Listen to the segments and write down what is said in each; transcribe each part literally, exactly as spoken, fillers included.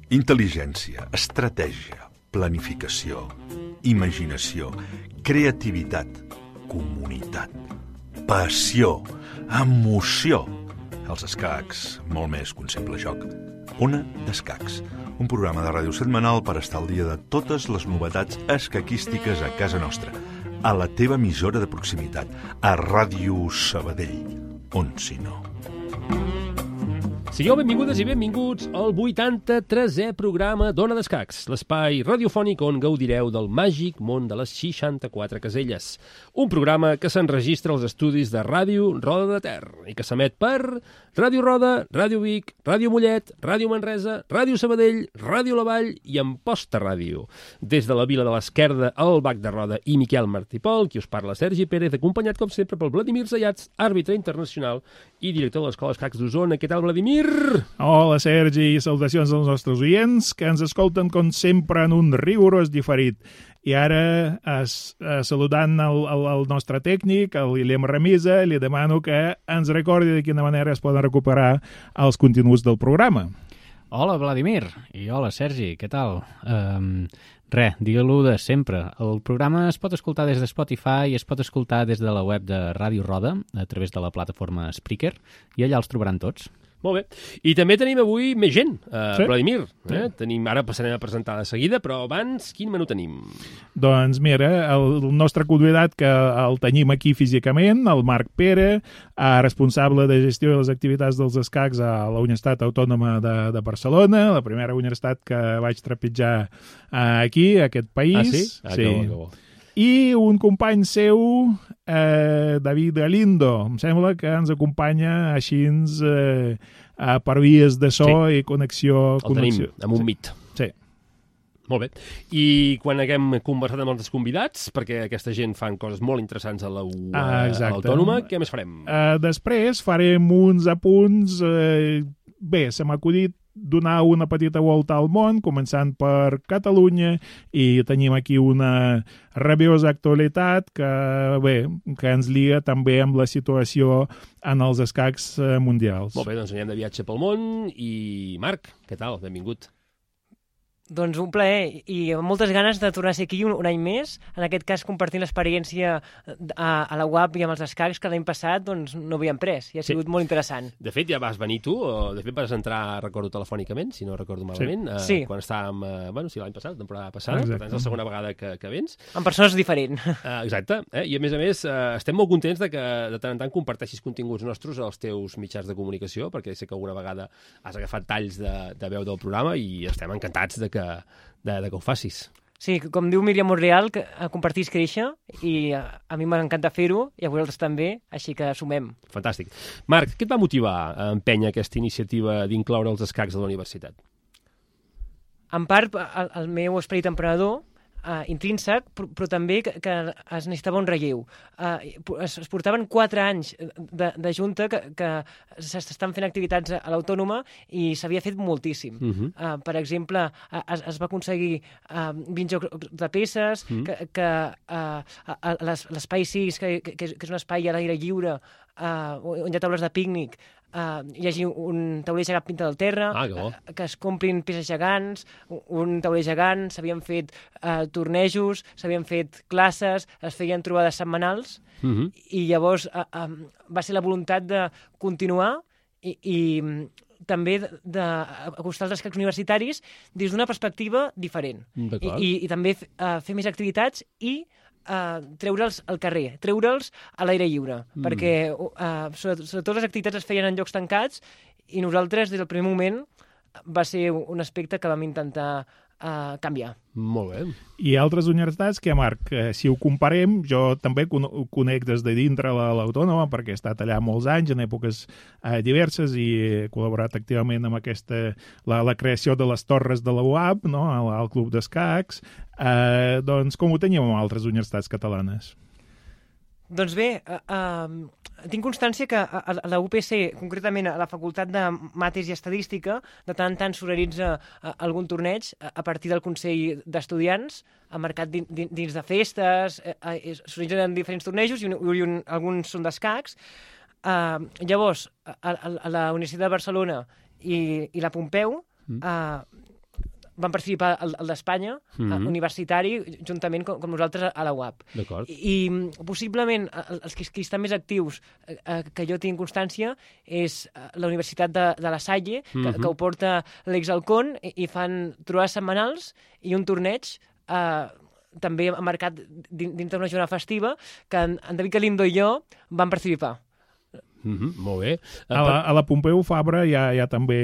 Intel·ligència, estratègia, planificació, imaginació, creativitat, comunitat, passió, emoció. Els escacs, molt més que un simple joc. Ona d'Escacs, un programa de ràdio setmanal per estar al dia de totes les novetats escaquístiques a casa nostra, a la teva emissora de proximitat, a Ràdio Sabadell, on si no. Sigueu benvingudes i benvinguts al vuitanta-tresè programa d'Ona d'Escacs, l'espai radiofònic on gaudireu del màgic món de les seixanta-quatre caselles. Un programa que s'enregistra als estudis de Ràdio Roda de Ter i que s'emet per Ràdio Roda, Ràdio Vic, Ràdio Mollet, Ràdio Manresa, Ràdio Sabadell, Ràdio La Vall i Amposta Ràdio. Des de la Vila de l'Esquerda, el Bac de Roda i Miquel Martipol, qui us parla Sergi Pérez, acompanyat com sempre pel Vladimir Zayats, àrbitre internacional i director de l'Escola Escacs d'Osona. Què tal, Vladimir? Hola, Sergi, i salutacions als nostres oients que ens escolten com sempre en un rigorós diferit. I ara, es, eh, saludant el, el, el nostre tècnic, el Guillem Ramisa, li demano que ens recordi de quina manera es poden recuperar els continguts del programa. Hola, Vladimir, i hola, Sergi, què tal? Um, Re, digue-lo de sempre. El programa es pot escoltar des de Spotify i es pot escoltar des de la web de Ràdio Roda, a través de la plataforma Spreaker, i allà els trobaran tots. Molt bé. I també tenim avui més gent, uh, sí. Vladimir. Eh? Sí. Tenim, ara passarem a presentar de seguida, però abans, quin menú tenim? Doncs mira, el, el nostre convidat que el tenim aquí físicament, el Marc Pere, eh, responsable de gestió de les activitats dels escacs a la Universitat Autònoma de, de Barcelona, la primera universitat que vaig trepitjar eh, aquí, a aquest país. Ah, sí? Ah, sí. que bo, que bo. I un company seu, eh, David Galindo, em sembla que ens acompanya així eh, per vies de so sí. i connexió. El connexió. tenim amb un sí. mit. Sí. Molt bé. I quan haguem conversat amb els convidats, perquè aquesta gent fan coses molt interessants a l'Autònoma, què més farem? Eh, després farem uns apunts. Eh, bé, se m'ha acudit donar una petita volta al món, començant per Catalunya, i tenim aquí una rabiosa actualitat que, bé, que ens lia també amb la situació en els escacs mundials. Molt bé, doncs anem de viatge pel món i Marc, què tal? Benvingut. Doncs un plaer i amb moltes ganes de tornar a ser aquí un, un any més, en aquest cas compartint l'experiència a, a la U A P i amb els escacs que l'any passat doncs, no havíem pres i ha sigut sí. molt interessant. De fet, ja vas venir tu, o de fet vas entrar, recordo telefònicament, si no recordo malament, sí. Uh, sí. quan estàvem, uh, bueno, sí, l'any passat, la temporada passada, exacte. Per tant és la segona vegada que, que vens. En persones diferents. Uh, exacte, eh? I a més a més uh, estem molt contents de que de tant en tant comparteixis continguts nostres als teus mitjans de comunicació, perquè sé que alguna vegada has agafat talls de, de veu del programa i estem encantats de que De, de que ho facis. Sí, com diu Míriam Monreal, que compartir és créixer, i a, a mi m'encanta fer-ho, i a vosaltres també, així que sumem. Fantàstic. Marc, què et va motivar a empènyer aquesta iniciativa d'incloure els escacs a la universitat? En part, el, el meu esperit emprenedor, Uh, intrínsec, però, però també que, que es necessitava un relleu. Uh, es, es portaven quatre anys de, de junta que, que s'estan fent activitats a l'Autònoma i s'havia fet moltíssim. Uh -huh. uh, per exemple, uh, es, es va aconseguir uh, vint jocs de peces, uh -huh. que, que uh, l'espai sis, que, que, que és un espai a l'aire lliure, uh, on hi ha taules de pícnic, Uh, hi hagi un tauler gegant pintat del terra, ah, que, uh, que es comprin peces gegants, un tauler gegant, s'havien fet uh, tornejos, s'havien fet classes, es feien trobades setmanals, uh -huh. i llavors uh, um, va ser la voluntat de continuar i, i també d'acostar els escacs universitaris des d'una perspectiva diferent. I, i, i també uh, fer més activitats i Uh, treure'ls al carrer, treure'ls a l'aire lliure, mm. perquè uh, sobretot, sobretot les activitats es feien en llocs tancats i nosaltres des del primer moment va ser un aspecte que vam intentar uh, canviar. Molt bé. I altres universitats que, Marc, eh, si ho comparem, jo també ho conec des de dintre l'Autònoma perquè he estat allà molts anys, en èpoques eh, diverses, i he col·laborat activament amb aquesta, la, la creació de les torres de la U A P, no?, al, al Club d'Escacs. Eh, doncs com ho teníem amb altres universitats catalanes? Doncs bé, uh, uh, tinc constància que a, a la U P C, concretament a la Facultat de Mates i Estadística, de tant en tant s'organitza uh, algun torneig a, a partir del Consell d'Estudiants, marcat din, din, dins de festes, uh, uh, s'organitzen diferents tornejos i, un, i un, alguns són d'escacs. Uh, llavors, a, a, a la Universitat de Barcelona i, i la Pompeu mm. uh, van participar al, al d'Espanya, mm-hmm. universitari, juntament com, com nosaltres a la U A P. D'acord. I, I possiblement els que, que estan més actius, eh, que jo tinc constància, és la Universitat de, de La Salle, mm-hmm. que, que ho porta l'exAlcón, i, i fan trobades setmanals i un torneig eh, també marcat dins d'una jornada festiva, que en, en David Galindo i jo vam participar. Mm-hmm, molt bé. A la, a la Pompeu Fabra hi ha, hi ha també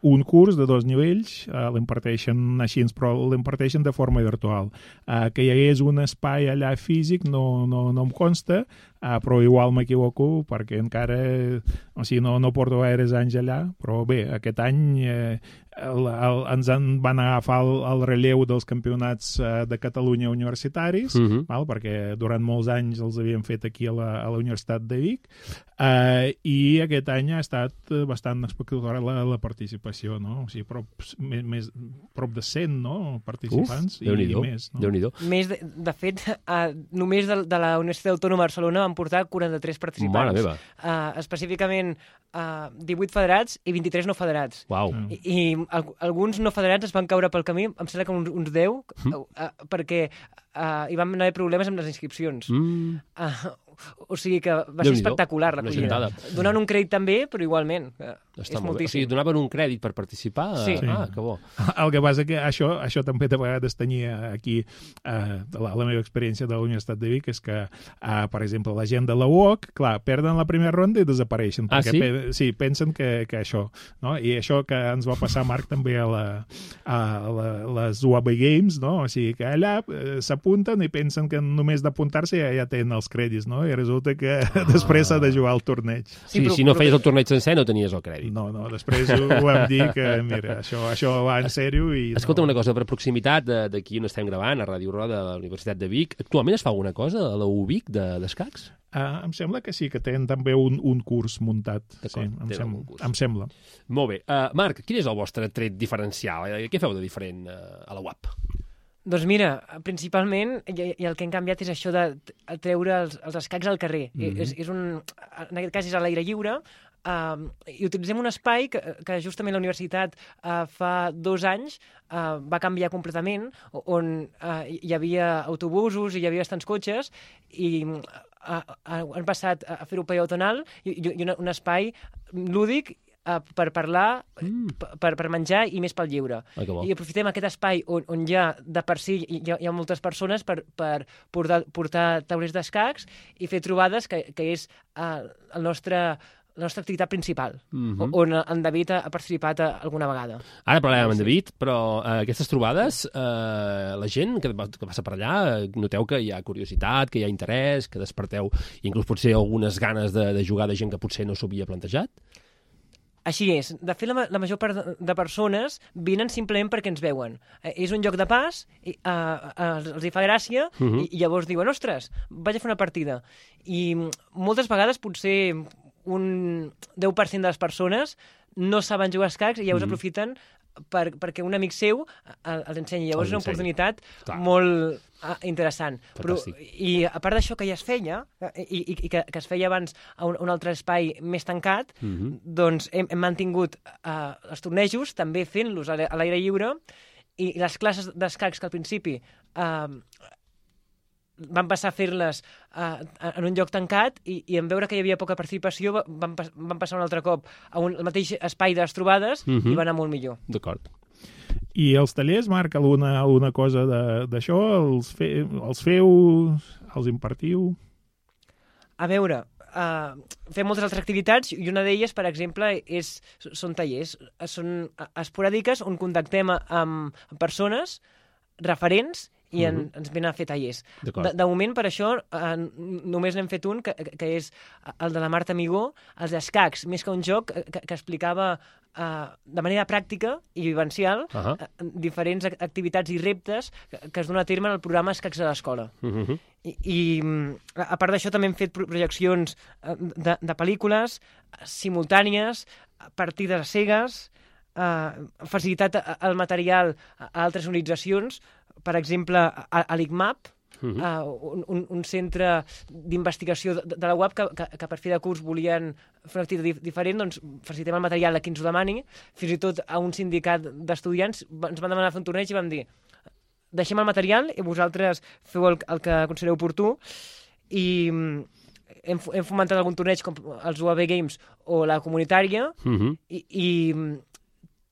un curs de dos nivells, uh, l'imparteixen així, però l'imparteixen de forma virtual. Uh, que hi hagués un espai allà físic no, no, no em consta, uh, però igual m'equivoco perquè encara, o sigui, no, no porto gaires anys allà, però bé, aquest any eh, el, el, ens en van agafar el, el relleu dels campionats uh, de Catalunya universitaris, mm-hmm. val? Perquè durant molts anys els havien fet aquí a la, a la Universitat de Vic, Uh, i aquest any ha estat bastant espectacular la, la participació, no? O sigui, prop, més, més, prop de cent, no? Participants. Uf, i, i més. No? Déu-n'hi-do. Més, de, de fet, uh, només de, de la Universitat Autònoma de Barcelona van portar quaranta-tres participants. Mare meva. Uh, específicament uh, divuit federats i vint-i-tres no federats. Uau. I, i al, alguns no federats es van caure pel camí, em sembla que uns, uns deu, mm. uh, uh, perquè uh, hi van haver problemes amb les inscripcions. Mm. Uh, o sigui que va ser espectacular la collida. Donant un crèdit també, però igualment. Està és moltíssim. O sigui, donaven un crèdit per participar? Sí. Ah, que bo. El que passa que això, això també de vegades tenia aquí eh, la, la meva experiència de la Universitat de Vic és que, eh, per exemple, la gent de la U O C, clar, perden la primera ronda i desapareixen. Ah, sí? Pe sí, pensen que, que això. No? I això que ens va passar, Marc, també a, la, a la, les U A B Games, no? O sigui, que allà eh, s'apunten i pensen que només d'apuntar-se ja, ja tenen els crèdits, no? I resulta que ah. després s'ha de jugar al torneig. Sí, sí però, si no feies el torneig sencer no tenies el crèdit. No, no, després ho, ho vam dir que, mira, això, això va en sèrio i... Escolta, no. una cosa, per proximitat d'aquí on estem gravant, a Ràdio Roda de la Universitat de Vic, actualment es fa alguna cosa a la U Vic d'escacs? De, uh, em sembla que sí, que tenen també un, un curs muntat. Sí, em, sem em sembla. Molt bé. Uh, Marc, quin és el vostre tret diferencial? Què feu de diferent uh, a la U A P? Doncs mira, principalment, i, i el que hem canviat és això de treure els, els escacs al carrer. Mm-hmm. és, és un, en aquest cas és a l'aire lliure, uh, i utilitzem un espai que, que justament la universitat uh, fa dos anys uh, va canviar completament, on uh, hi havia autobusos i hi havia bastants cotxes, i uh, uh, han passat a fer-ho peatonal i, i un, un espai lúdic Uh, per parlar, mm. per, per menjar i més pel lleure. Ah, I aprofitem aquest espai on, on ja de per si hi ha, hi ha moltes persones per, per portar, portar taulers d'escacs i fer trobades, que, que és uh, el nostre, la nostra activitat principal, mm-hmm. on en David ha participat alguna vegada. Ara parlarem amb en David, però uh, aquestes trobades, uh, la gent que, que passa per allà, noteu que hi ha curiositat, que hi ha interès, que desperteu inclús potser algunes ganes de, de jugar de gent que potser no s'ho havia plantejat? Així és. De fet, la, la major part de persones vinen simplement perquè ens veuen. Eh, és un lloc de pas, i, uh, uh, els hi fa gràcia, uh-huh. i, i llavors diuen, ostres, vaig a fer una partida. I moltes vegades potser un deu per cent de les persones no saben jugar a escacs i llavors uh-huh. aprofiten per, perquè un amic seu els ensenyi. Llavors és una oportunitat Clar. molt ah, interessant. Però, I a part d'això que ja es feia, i, i, i que, que es feia abans a un, un altre espai més tancat, mm-hmm. doncs hem, hem mantingut uh, els tornejos, també fent-los a l'aire lliure, i les classes d'escacs que al principi uh, van passar a fer-les uh, en un lloc tancat i, i en veure que hi havia poca participació van, van passar un altre cop a un, al mateix espai de les trobades mm-hmm. i va anar molt millor. D'acord. I els tallers, Marc, alguna, alguna cosa d'això? Els, fe, els feu? Els impartiu? A veure, uh, fem moltes altres activitats i una d'elles, per exemple, és, són tallers. Són esporàdiques on contactem amb persones referents i en, uh -huh. ens venen a fer tallers. De, de moment, per això, eh, només n'hem fet un, que, que és el de la Marta Amigó, els escacs, més que un joc que, que explicava eh, de manera pràctica i vivencial uh -huh. eh, diferents activitats i reptes que, que es donen a terme en el programa Escacs a l'Escola. Uh -huh. I, I, a part d'això, també hem fet projeccions de, de pel·lícules simultànies, partides cegues, eh, facilitat el material a altres organitzacions, per exemple, a, a l'I C M A P, uh -huh. uh, un, un centre d'investigació de, de la U A P que, que, que per fi de curs volien fer una activitat dif diferent, doncs facilitem el material a qui ens ho demani, fins i tot a un sindicat d'estudiants ens van demanar fer un torneig i vam dir deixem el material i vosaltres feu el, el que considereu oportú, i hem, hem fomentat algun torneig com els U A B Games o la comunitària, uh -huh. i, i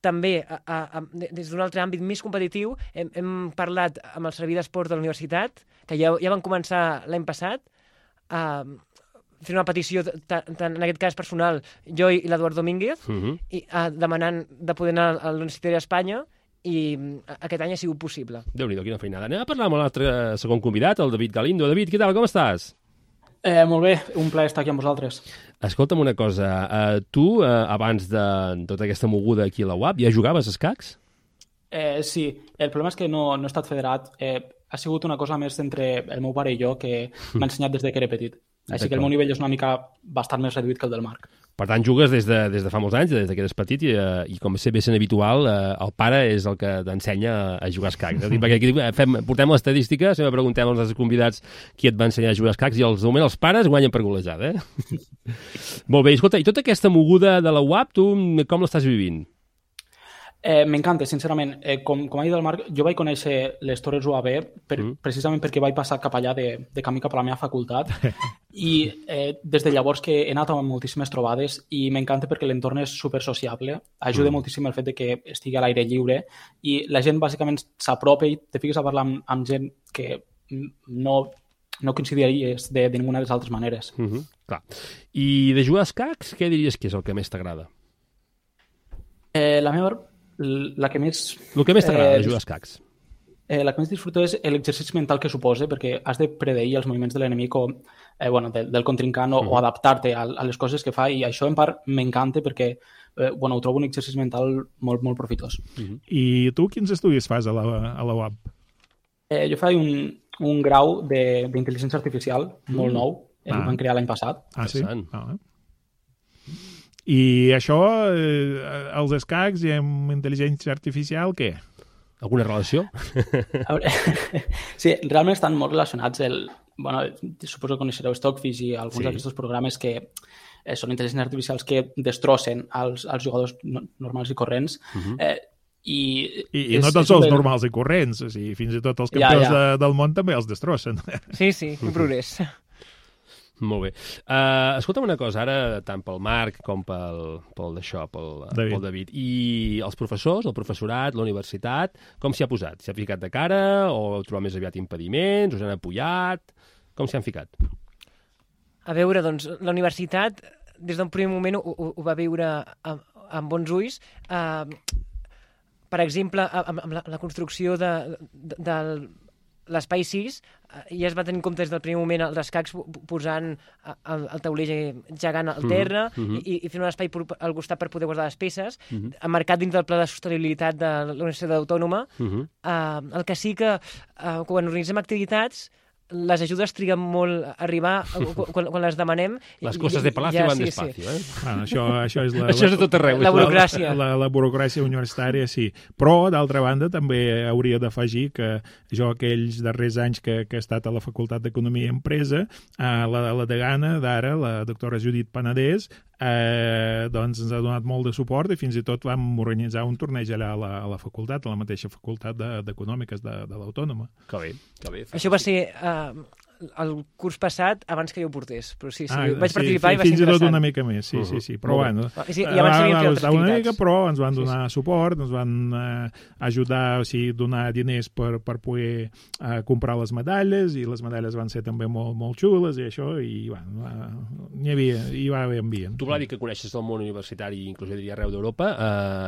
també, a, a, a, des d'un altre àmbit més competitiu, hem, hem parlat amb el servei d'esport de la universitat, que ja, ja van començar l'any passat, a fer una petició, tant en aquest cas personal, jo i l'Eduard Domínguez, uh -huh. i, a, demanant de poder anar a l'Universitat d'Espanya, i aquest any ha sigut possible. Déu-n'hi-do, quina feinada. Anem a parlar amb l'altre segon convidat, el David Galindo. David, què tal, com estàs? Eh, molt bé, un plaer estar aquí amb vosaltres. Escolta'm una cosa, uh, tu, uh, abans de tota aquesta moguda aquí a la U A P, ja jugaves a escacs? Eh, sí, el problema és que no, no he estat federat. Eh, ha sigut una cosa més entre el meu pare i jo que m'ha ensenyat des de que era petit. Així que el meu nivell és una mica bastant més reduït que el del Marc. Per tant, jugues des de, des de fa molts anys, des de que eres petit, i, uh, i com bé sent habitual, uh, el pare és el que t'ensenya a jugar a escacs. Perquè aquí fem, portem l'estadística, sempre preguntem als nostres convidats qui et va ensenyar a jugar a escacs, i als, de moment els pares guanyen per golejada, eh? Molt bé, escolta, i tota aquesta moguda de la U A P, tu com l'estàs vivint? Eh, M'encanta, sincerament. Eh, com, com ha dit el Marc, jo vaig conèixer les Torres U A B per, mm. precisament perquè vaig passar cap allà de, de camí cap a la meva facultat i eh, des de llavors que he anat amb moltíssimes trobades i m'encanta perquè l'entorn és super sociable, ajuda mm. moltíssim el fet de que estigui a l'aire lliure i la gent bàsicament s'apropa i te fiques a parlar amb, amb gent que no, no coincidiries de, de ninguna de les altres maneres. Mm -hmm. Clar. I de jugar a escacs, què diries que és el que més t'agrada? Eh, la meva... La que més... El que més t'agrada eh, de jugar a escacs? Eh, la que més disfruto és l'exercici mental que suposa, perquè has de predeir els moviments de l'enemic o eh, bueno, del, del contrincant o, mm. o adaptar-te a, a les coses que fa, i això en part m'encanta perquè eh, bueno, ho trobo un exercici mental molt, molt profitós. Mm -hmm. I tu quins estudis fas a la, a la U A P? Eh, jo faig un, un grau d'intel·ligència artificial mm. molt nou, el ah. van crear l'any passat. Ah, sí? Ah, i això, eh, els escacs i amb intel·ligència artificial, què? Alguna relació? Sí, realment estan molt relacionats. El, bueno, suposo que coneixereu Stockfish i alguns sí. d'aquests programes que eh, són intel·ligències artificials que destrossen els, els jugadors no, normals i corrents. Uh-huh. eh, I, I, i no tots els normals i corrents, o sigui, fins i tot els campions ja, ja. De, del món també els destrossen. Sí, sí, un progrés. Molt bé. Uh, escolta'm una cosa, ara, tant pel Marc com pel, pel d'això, pel David. pel David. I els professors, el professorat, la universitat, com s'hi ha posat? S'hi ha ficat de cara o heu trobat més aviat impediments? Us han apoyat? Com s'hi han ficat? A veure, doncs, la universitat, des d'un primer moment, ho, ho, ho va veure amb, amb bons ulls. Uh, per exemple, amb, amb la, la construcció de, de, del l'espai sis, ja es va tenir en compte des del primer moment els escacs posant el, el taulell gegant al terra mm -hmm. i, i fent un espai al costat per poder guardar les peces, mm -hmm. emmarcat dins del pla de sostenibilitat de la Universitat Autònoma. Mm -hmm. uh, el que sí que uh, quan organitzem activitats les ajudes triguen molt a arribar quan, quan les demanem. Les coses de Palacio ja, van sí, despacio, sí. eh? Bueno, això, això és la, això és de tot arreu. La burocràcia. La, la, la burocràcia universitària, sí. Però, d'altra banda, també hauria d'afegir que jo aquells darrers anys que, que he estat a la Facultat d'Economia i Empresa, eh, la, la degana d'ara, la doctora Judit Panadés, eh, doncs ens ha donat molt de suport i fins i tot vam organitzar un torneig allà a la, a la facultat, a la mateixa facultat d'Econòmiques de, de, de l'Autònoma. Que bé, que bé. Això va ser uh, el curs passat abans que jo ho portés, però sí, sí, Ah, vaig sí, participar fi- i va ser fins i tot interessant. una mica més, sí, sí, sí, però bueno. I, sí, i abans s'havien fet altres una activitats. mica, però ens van donar suport, ens van eh, ajudar, o sigui, donar diners per, per poder eh, comprar les medalles, i les medalles van ser també molt, molt xules, i això, i bueno, va, n'hi havia, hi va haver ambient. Tu, Vladi, que coneixes el món universitari, inclús jo diria arreu d'Europa,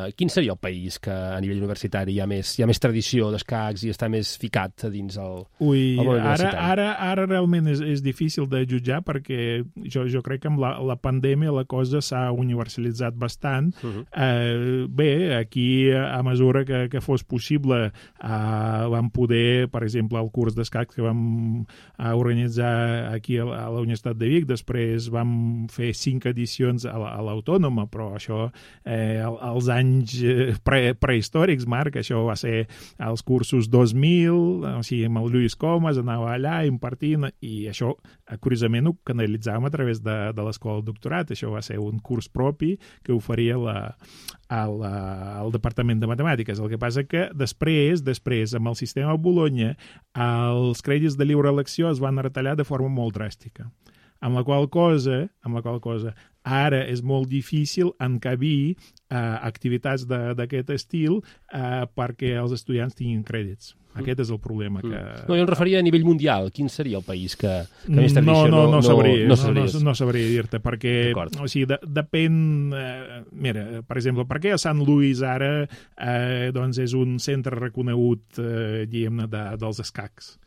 eh, quin seria el país que a nivell universitari hi ha més, hi ha més tradició d'escacs i està més ficat a dins el, Ui, el món ara, universitari? ara, ara realment és, és difícil de jutjar, perquè jo, jo crec que amb la, la pandèmia la cosa s'ha universalitzat bastant. Uh -huh. eh, bé, aquí a mesura que, que fos possible eh, vam poder, per exemple, el curs d'escacs que vam eh, organitzar aquí a la, a la Universitat de Vic, després vam fer cinc edicions a la- a l'Autònoma, però això eh, al- als anys eh, pre, prehistòrics, Marc, això va ser als cursos dos mil, o sigui, amb el Lluís Comas anava allà impartint, i això, eh, curiosament, ho canalitzàvem a través de, de l'escola del doctorat. Això va ser un curs propi que oferia la, a la, al Departament de Matemàtiques. El que passa que després, després, amb el sistema Bologna, els crèdits de lliure elecció es van retallar de forma molt dràstica. Amb la qual cosa, amb la qual cosa ara és molt difícil encabir eh, activitats d'aquest estil eh, perquè els estudiants tinguin crèdits. Aquest és el problema. Que... No, jo em referia a nivell mundial. Quin seria el país que, que més tradició no, no, no, sabria, no, no, sabries? no, no sabria dir-te, perquè o sigui, de, depèn... Eh, mira, per exemple, per què a Sant Louis ara eh, doncs és un centre reconegut eh, diguem-ne, de, dels escacs,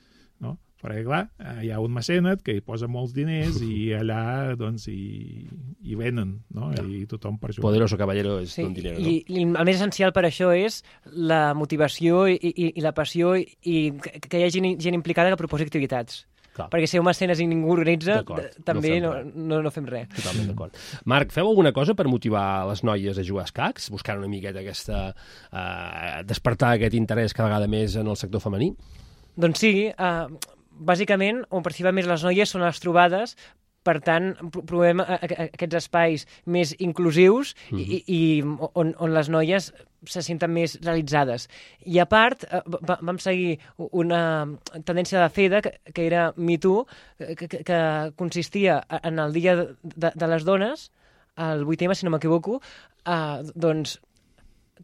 no? Perquè, clar, hi ha un mecenet que hi posa molts diners i allà, doncs, hi, hi venen, no? I tothom per jugar. Poderoso caballero és Sí, un dinero, i, i el més essencial per això és la motivació i, i, i la passió i, i que, que hi hagi gent, gent implicada que proposi activitats. Clar. Perquè si hi ha un mecenes i ningú organitza, D'acord, d- també no no, fem no, no fem res. Totalment d'acord. Marc, feu alguna cosa per motivar les noies a jugar a escacs? Buscant una miqueta aquesta... Eh, despertar aquest interès cada vegada més en el sector femení? Doncs sí, eh, bàsicament, on participen més les noies són les trobades, per tant, pro- provem a- a- aquests espais més inclusius i, i, i on, on les noies se senten més realitzades. I a part, eh, va- vam seguir una tendència de FEDA, que, que era Me Too, que, que, que consistia en el Dia de, de, de les Dones, el vuit eme, si no m'equivoco, eh, doncs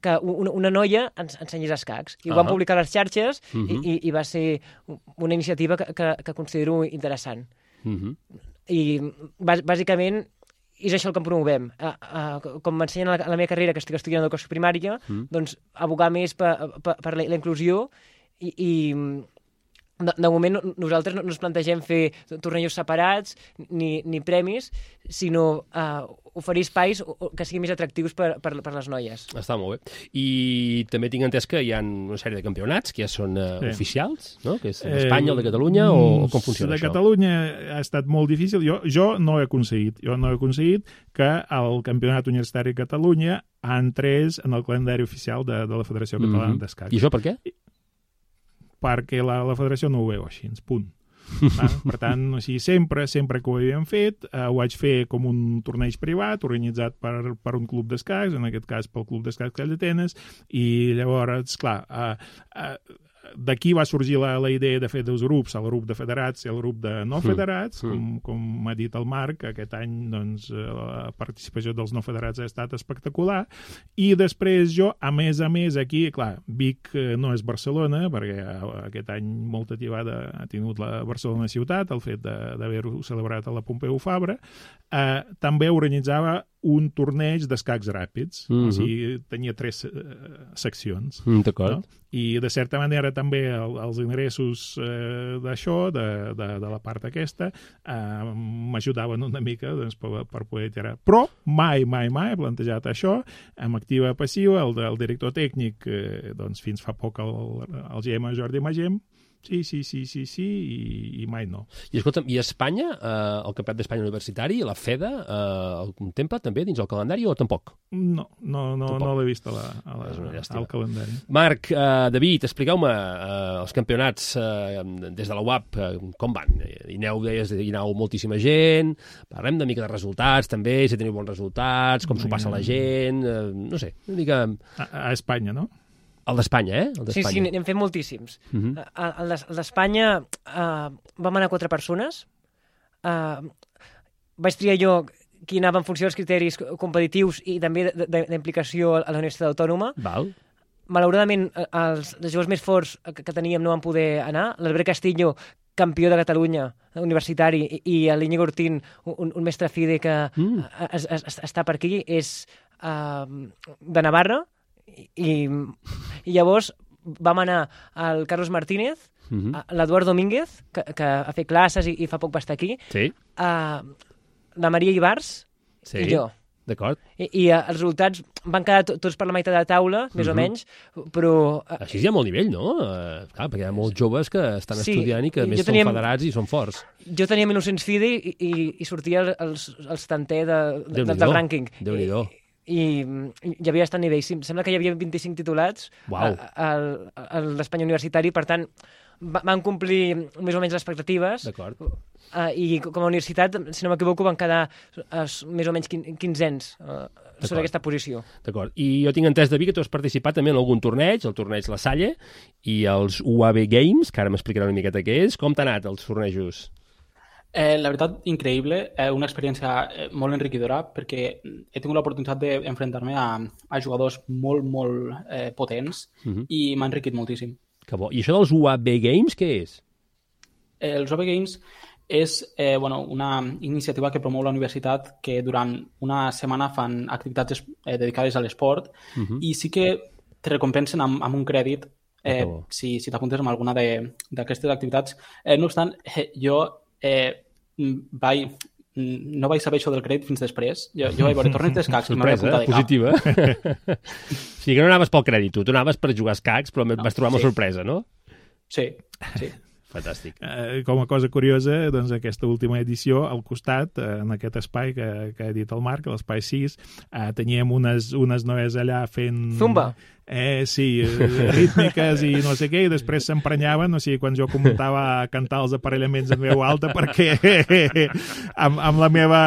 que una, una noia ens ensenyés escacs. I ho van Ahà. publicar a les xarxes Mhm. uh -huh. i, i va ser una iniciativa que, que, que considero interessant. Uh -huh. I bàs- bàsicament és això el que promovem. Uh, uh, com m'ensenyen a la, a la meva carrera, que estic estudiant educació primària, Mm. doncs abogar més per, per, per la, la inclusió i, i de, de moment no- nosaltres no no ens plantegem fer tornejos separats ni, ni premis, sinó uh, oferir espais o- o que siguin més atractius per, per, per les noies. Està molt bé. I també tinc entès que hi ha una sèrie de campionats que ja són uh, Sí. oficials, no? Que és d'Espanya, el de Catalunya, o, o com funciona de això? De Catalunya ha estat molt difícil. Jo, jo no he aconseguit. Jo no he aconseguit que el Campionat Universitari de Catalunya entrés en el calendari oficial de, de la Federació Catalana Mhm. d'Escacs. I això per què? Perquè la, la federació no ho veu així, punt. Ah, per tant, o sigui, sempre, sempre que ho havíem fet, eh, ho vaig fer com un torneig privat, organitzat per, per un club d'escacs, en aquest cas pel Club d'Escacs Call d'Atenes, i llavors, clar, eh, eh, d'aquí va sorgir la, la idea de fer dos grups, el grup de federats i el grup de no federats, Mm. com, com m'ha dit el Marc, aquest any doncs, eh, la participació dels no federats ha estat espectacular, i després jo, a més a més, aquí, clar, Vic eh, no és Barcelona, perquè eh, aquest any molta tibada ha tingut la Barcelona ciutat, el fet de- d'haver-ho celebrat a la Pompeu Fabra, eh, també organitzava un torneig d'escacs ràpids, Mhm. o sigui, tenia tres eh, seccions. Mm, D'acord. No? I, de certa manera, també el, els ingressos eh, d'això, de, de, de la part aquesta, eh, m'ajudaven una mica doncs, per, per poder tirar. Però mai, mai, mai he plantejat això amb activa passiva. El, el director tècnic, eh, doncs, fins fa poc el, el G M Jordi Magem, sí, sí, sí, sí, sí, i, i mai no. I escolta'm, i Espanya, eh, el Campionat d'Espanya Universitari, la FEDA, eh, el contempla també dins el calendari o tampoc? No, no, no, Tampoc. no l'he vist a la, a la, És una llàstima. al calendari. Marc, eh, David, expliqueu-me eh, els campionats eh, des de la U A P, eh, com van? Hi aneu, deies, hi aneu moltíssima gent, parlem una mica de resultats també, si teniu bons resultats, com s'ho passa la gent, eh, no sé, una mica... A, a Espanya, no? El d'Espanya, eh? El Sí, sí, n'hem fet moltíssims. Uh Mhm. -huh. El d'Espanya uh, vam anar quatre persones. Uh, vaig triar jo qui anava en funció dels criteris competitius i també d'implicació a la Universitat Autònoma. Val. Malauradament, els, els jugadors més forts que, que teníem no van poder anar. L'Albert Castillo, campió de Catalunya, universitari, i, i l'Iñigo Ortín, un, un mestre FIDE que mm. es, es, es, està per aquí, és uh, de Navarra, i, i llavors vam anar al Carlos Martínez, mm -hmm. l'Eduard Domínguez, que, que ha fet classes i, i fa poc va estar aquí, sí. uh, la Maria Ibars sí. i jo. D'acord. I, i uh, els resultats van quedar tots per la meitat de la taula, més mm -hmm. o menys, però... Uh, Així hi ha molt nivell, no? Uh, clar, perquè hi ha molts joves que estan sí, estudiant i que a més teníem, són federats i són forts. Jo tenia mil nou-cents FIDE i, i, i sortia els, els tanter de, de, del rànquing. Déu-n'hi-do. I, i hi havia bastant nivell. Sembla que hi havia vint-i-cinc titulats wow. a, a, a l'Espanya Universitari, per tant, van complir més o menys les expectatives. D'acord. Uh, I com a universitat, si no m'equivoco, van quedar uh, més o menys quinzens uh, sobre aquesta posició. D'acord. I jo tinc entès, David, que tu has participat també en algun torneig, el torneig La Salle i els U A B Games, que ara m'explicarà una miqueta què és. Com t'ha anat els tornejos? Eh, la veritat, increïble, eh, una experiència eh, molt enriquidora perquè he tingut l'oportunitat d'enfrontar-me a, a jugadors molt, molt eh, potents uh-huh. i m'ha enriquit moltíssim. Que bo. I això dels U A B Games, què és? Eh, els U A B Games és eh, bueno, una iniciativa que promou la universitat que durant una setmana fan activitats eh, dedicades a l'esport uh-huh. i sí que te recompensen amb, amb un crèdit eh, oh. si, si t'apuntes amb alguna d'aquestes activitats. Eh, no obstant, eh, jo eh, vaig, no vaig saber això del crèdit fins després. Jo, jo vaig veure torneig d'escacs i m'havia apuntat de cap. Positiva. O sigui que no anaves pel crèdit, tu, tu anaves per jugar escacs, però no, vas trobar sí. una sorpresa, no? Sí, sí. Fantàstic. Eh, com a cosa curiosa, doncs aquesta última edició, al costat, eh, en aquest espai que, que ha dit el Marc, l'espai sis, eh, teníem unes, unes noies allà fent... Zumba! Eh, sí, rítmiques i no sé què, i després s'emprenyaven, o sigui, quan jo començava a cantar els aparellaments en veu alta, perquè amb, amb la meva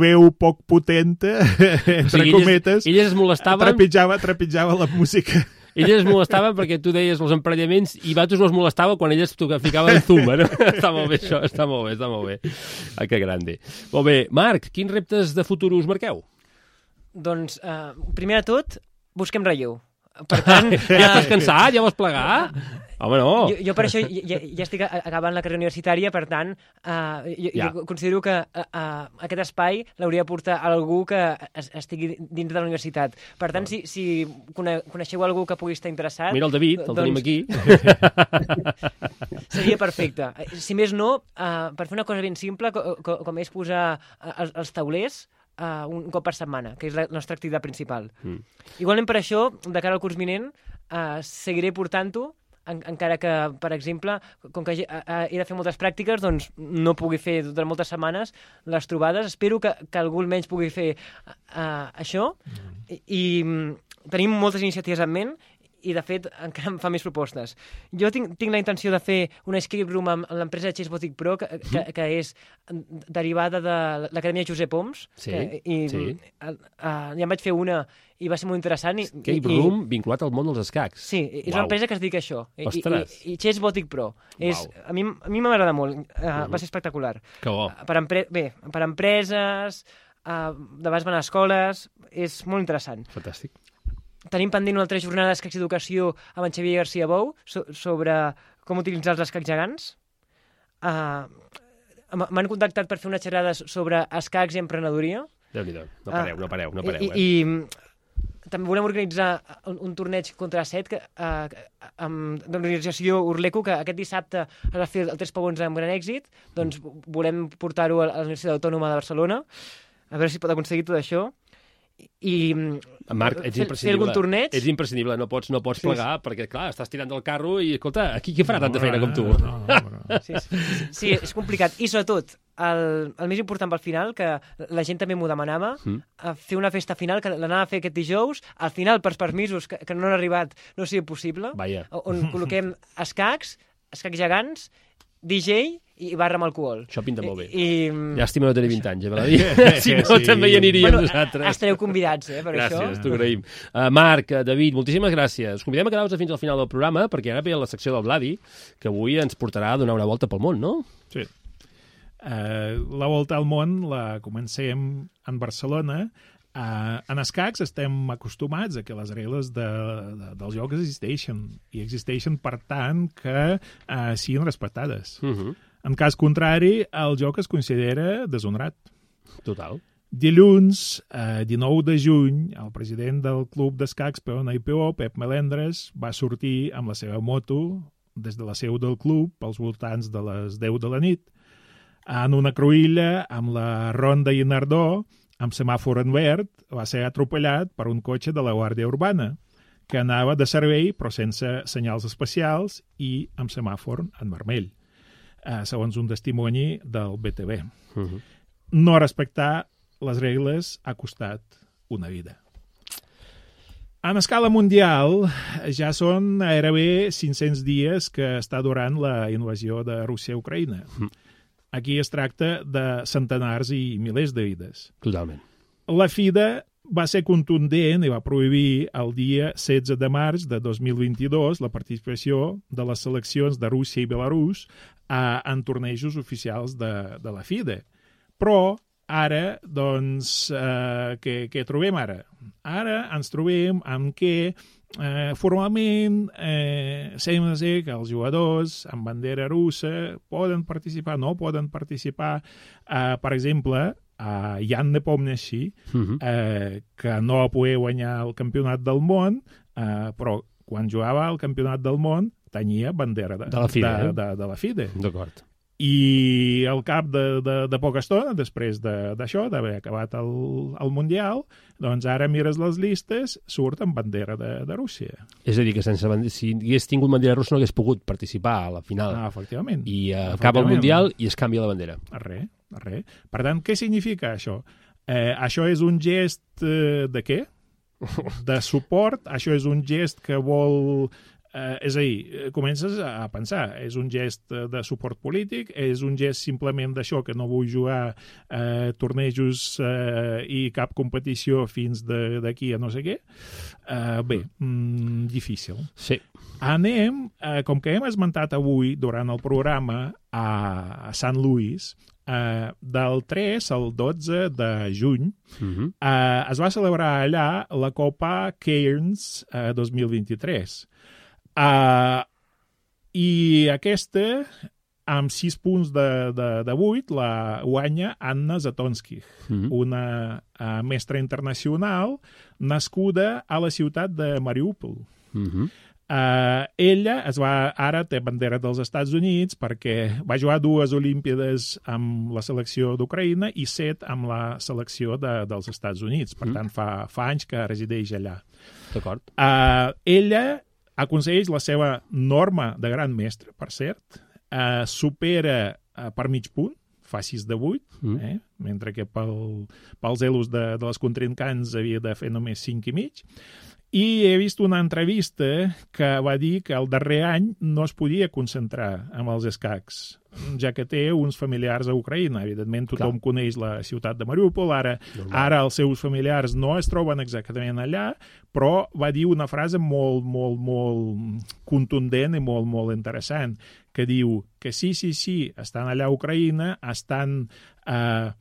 veu poc potenta, entre o sigui, cometes, elles, elles es molestaven... trepitjava, trepitjava la música. Elles es molestaven perquè tu deies els emparellaments i vosaltres no es molestava quan elles ficaven zumba, no? Està molt bé això, està molt bé, està molt bé. Ah, que grande. Molt bé. Marc, quins reptes de futur us marqueu? Doncs, uh, primer de tot, busquem relleu. Per tant, ja estàs cansat? Ja vols plegar? Home, no. Jo, jo per això ja, ja estic acabant la carrera universitària, per tant, uh, jo, ja. jo considero que uh, uh, aquest espai l'hauria de portar algú que es, estigui dins de la universitat. Per tant, si, si cone coneixeu algú que pugui estar interessat... Mira el David, el doncs... tenim aquí. Seria perfecte. Si més no, uh, per fer una cosa ben simple, co co com és posar els, els taulers, Uh, un cop per setmana, que és la nostra activitat principal. Mm. Igualment per això, de cara al curs vinent, uh, seguiré portant-ho, en encara que, per exemple, com que he, uh, he de fer moltes pràctiques, doncs no pugui fer durant moltes setmanes les trobades. Espero que, que algú almenys pugui fer uh, això. Mm. I, i tenim moltes iniciatives en ment i, de fet, encara em fa més propostes. Jo tinc, tinc la intenció de fer una escape room amb l'empresa Chess Boutique Pro, que, que, que és derivada de l'Acadèmia Josep Oms. Sí, que, i, sí. Uh, uh, ja em vaig fer una i va ser molt interessant. I, escape i, room vinculat al món dels escacs. Sí, és Uau. Una empresa que es dedica a això. Ostres! I, i, i Chess Boutique Pro. És, a mi a mi m'agrada molt. Uh, uh -huh. Va ser espectacular. Que bo. Uh, per empre bé, per empreses, uh, de vegades van a escoles, és molt interessant. Fantàstic. Tenim pendent una altra jornada d'escacs d'educació amb en Xavier García Bou so sobre com utilitzar els escacs gegants. Uh, M'han contactat per fer una xerrada sobre escacs i emprenedoria. Déu-n'hi-do, no pareu, uh, no pareu, no pareu. I, eh? i també volem organitzar un, un torneig contra set que, uh, amb l'organització Urleco, que aquest dissabte es va fer el Tres Pavons amb gran èxit. Doncs volem portar-ho a la Universitat Autònoma de Barcelona, a veure si pot aconseguir tot això. I Marc, ets fer, fer algun torneig. Ets imprescindible, no pots, no pots sí, plegar, sí. perquè, clar, estàs tirant del carro i, escolta, aquí qui farà no, tanta feina no, com tu? No, no, no. Sí, sí, sí, és complicat. I, sobretot, el, el més important pel final, que la gent també m'ho demanava, mm. a fer una festa final, que l'anava a fer aquest dijous, al final, per permisos que, que no han arribat, no sigui possible, Vaja. on col·loquem escacs, escacs gegants, D J i barra amb alcohol. Això pinta molt bé. I, Llàstima no tenir vint anys, eh, Valadi? Si no, Sí. també hi aniríem bueno, nosaltres. estareu convidats, eh, per Gràcies, això. t'ho agraïm. Uh, Marc, uh, David, moltíssimes gràcies. Us convidem a quedar-vos fins al final del programa, perquè ara ve la secció del Vladi, que avui ens portarà a donar una volta pel món, no? Sí. Uh, la volta al món la comencem en Barcelona. Uh, en escacs estem acostumats a que les regles de, de, del joc existeixen, i existeixen, per tant, que uh, siguin respectades. Uh -huh. En cas contrari, el joc es considera deshonorat. Total. Dilluns, eh, dinou de juny, el president del Club d'Escacs Peona i Peó, Pep Melendres, va sortir amb la seva moto des de la seu del club pels voltants de les deu de la nit, en una cruïlla amb la Ronda i Nardó, amb semàfor en verd, va ser atropellat per un cotxe de la Guàrdia Urbana, que anava de servei però sense senyals especials i amb semàfor en vermell, eh, segons un testimoni del B T V. Uh -huh. No respectar les regles ha costat una vida. En escala mundial, ja són gairebé cinc-cents dies que està durant la invasió de Rússia a Ucraïna. Aquí es tracta de centenars i milers de vides. Totalment. La FIDE va ser contundent i va prohibir el dia setze de març de dos mil vint-i-dos la participació de les seleccions de Rússia i Belarús eh, en tornejos oficials de, de la FIDE. Però ara, doncs, eh, què, què trobem ara? Ara ens trobem amb que eh, formalment eh, sembla ser que els jugadors amb bandera russa poden participar, no poden participar. Eh, per exemple, a Jan Nepomniachtchi, uh -huh. eh, que no va poder guanyar el campionat del món, eh, però quan jugava al campionat del món tenia bandera de, de la FIDE. De, eh? de, de la FIDE. D'acord. I al cap de, de, de poca estona, després d'això, de, d'haver acabat el, el Mundial, doncs ara mires les llistes, surt amb bandera de, de Rússia. És a dir, que sense bandera, si hagués tingut bandera russa no hagués pogut participar a la final. Ah, efectivament. I uh, acaba el Mundial i es canvia la bandera. Res, res. Per tant, què significa això? Eh, això és un gest eh, de què? De suport? Això és un gest que vol... Eh, és a dir, comences a pensar, és un gest de suport polític, és un gest simplement d'això, que no vull jugar eh, tornejos eh, i cap competició fins d'aquí a no sé què. Eh, bé, mm, difícil. Sí. Anem, eh, com que hem esmentat avui durant el programa a, a Sant Louis, eh, del tres al dotze de juny, Uh -huh. eh, es va celebrar allà la Copa Cairns eh, dos mil vint-i-tres. Uh, i aquesta, amb sis punts de, de, de vuit, la guanya Anna Zatonskih, mm-hmm. una uh, mestra internacional nascuda a la ciutat de Mariupol. Mm-hmm. Uh, ella es va, ara té bandera dels Estats Units perquè va jugar dues Olímpiades amb la selecció d'Ucraïna i set amb la selecció de, dels Estats Units. Per mm. tant, fa, fa anys que resideix allà. D'acord. Uh, ella aconsegueix la seva norma de gran mestre, per cert, eh, supera eh, per mig punt, fa sis de vuit, mm. eh, mentre que pel, pels elos de, de les contrincants havia de fer només cinc i mig. I he vist una entrevista que va dir que el darrer any no es podia concentrar amb els escacs, ja que té uns familiars a Ucraïna. Evidentment, tothom Clar. coneix la ciutat de Mariupol, ara, ara els seus familiars no es troben exactament allà, però va dir una frase molt, molt, molt contundent i molt, molt interessant, que diu que sí, sí, sí, estan allà a Ucraïna, estan... Eh,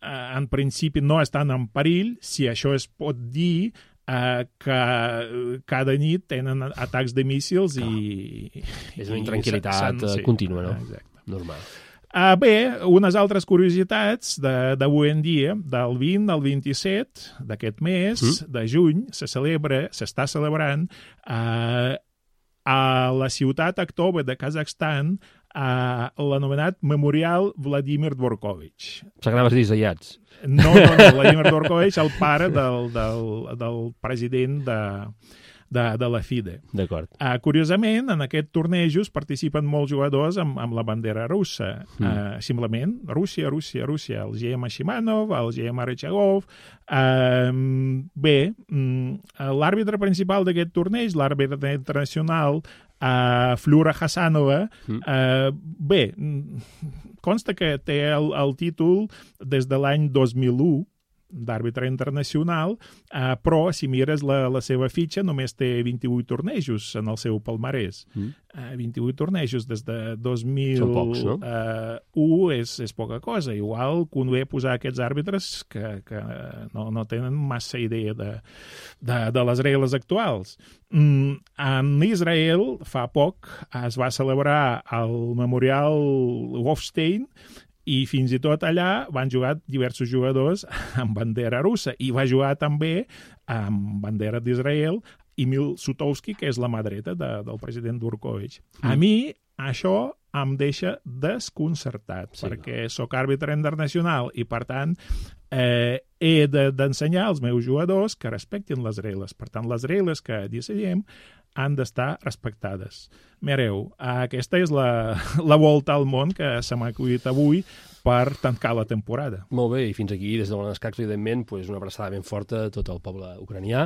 en principi no estan en perill, si això es pot dir, Uh, que cada nit tenen atacs de míssils i... És una intranquil·litat sí. contínua, no? Exacte. Normal. Uh, bé, unes altres curiositats d'avui en dia, del vint al vint-i-set d'aquest mes mm. de juny, se celebra, s'està celebrant uh, a la ciutat Aktova de Kazakhstan uh, l'anomenat Memorial Vladimir Dvorkovich. S'agraves dissenyats. No, no, no, Vladimir Dvorkovich, el pare del, del, del president de, de, de la FIDE. D'acord. Uh, curiosament, en aquest tornejos participen molts jugadors amb, amb la bandera russa. Mm. Uh, simplement, Rússia, Rússia, Rússia. El G M Shimanov, el G M Rechagov. Uh, bé, um, l'àrbitre principal d'aquest torneig, l'àrbitre internacional, Uh, Flura Hasanova, uh, bé, consta que té el, el títol des de l'any dos mil u, d'àrbitre internacional, eh, però si mires la, la seva fitxa només té vint-i-vuit tornejos en el seu palmarès. Mm. Eh, vint-i-vuit tornejos des de dos mil u pocs, no? eh, és, és poca cosa. Igual convé posar aquests àrbitres que, que no, no tenen massa idea de, de, de les regles actuals. Mm, en Israel, fa poc, es va celebrar el Memorial Wolfstein, i fins i tot allà van jugar diversos jugadors amb bandera russa, i va jugar també amb bandera d'Israel Emil Sutowski, que és la mà dreta de, del president Dvorkovich. Mm. A mi això em deixa desconcertat, sí, perquè sóc àrbitre internacional i, per tant, eh, he d'ensenyar als meus jugadors que respectin les regles. Per tant, les regles que decidim han d'estar respectades. Mireu, aquesta és la, la volta al món que se m'ha acudit avui per tancar la temporada. Molt bé, i fins aquí, des de l'Ona d'Escacs, evidentment, pues, una abraçada ben forta a tot el poble ucranià,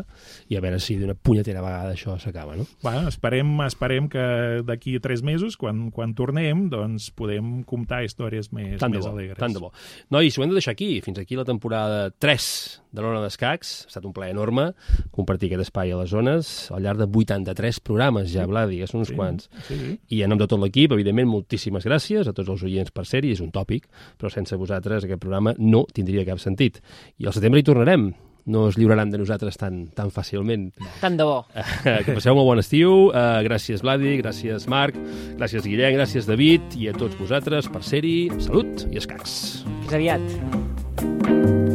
i a veure si d'una punyetera vegada això s'acaba, no? Bueno, esperem, esperem que d'aquí a tres mesos, quan, quan tornem, doncs podem comptar històries més, tant més bo, alegres. Tant de bo. Nois, ho hem de deixar aquí. Fins aquí la temporada tres de l'Ona d'Escacs. Ha estat un plaer enorme compartir aquest espai a les zones al llarg de vuitanta-tres programes ja, Vladi, que són uns sí, quants. Sí. I en nom de tot l'equip, evidentment, moltíssimes gràcies a tots els oients per ser-hi, és un tòpic, però sense vosaltres aquest programa no tindria cap sentit. I al setembre hi tornarem. No es lliuraran de nosaltres tan, tan fàcilment. Tant de bo. Que passeu un molt bon estiu. Uh, gràcies, Vladi, gràcies, Marc, gràcies, Guillem, gràcies, David, i a tots vosaltres per ser-hi. Salut i escacs. Fins aviat.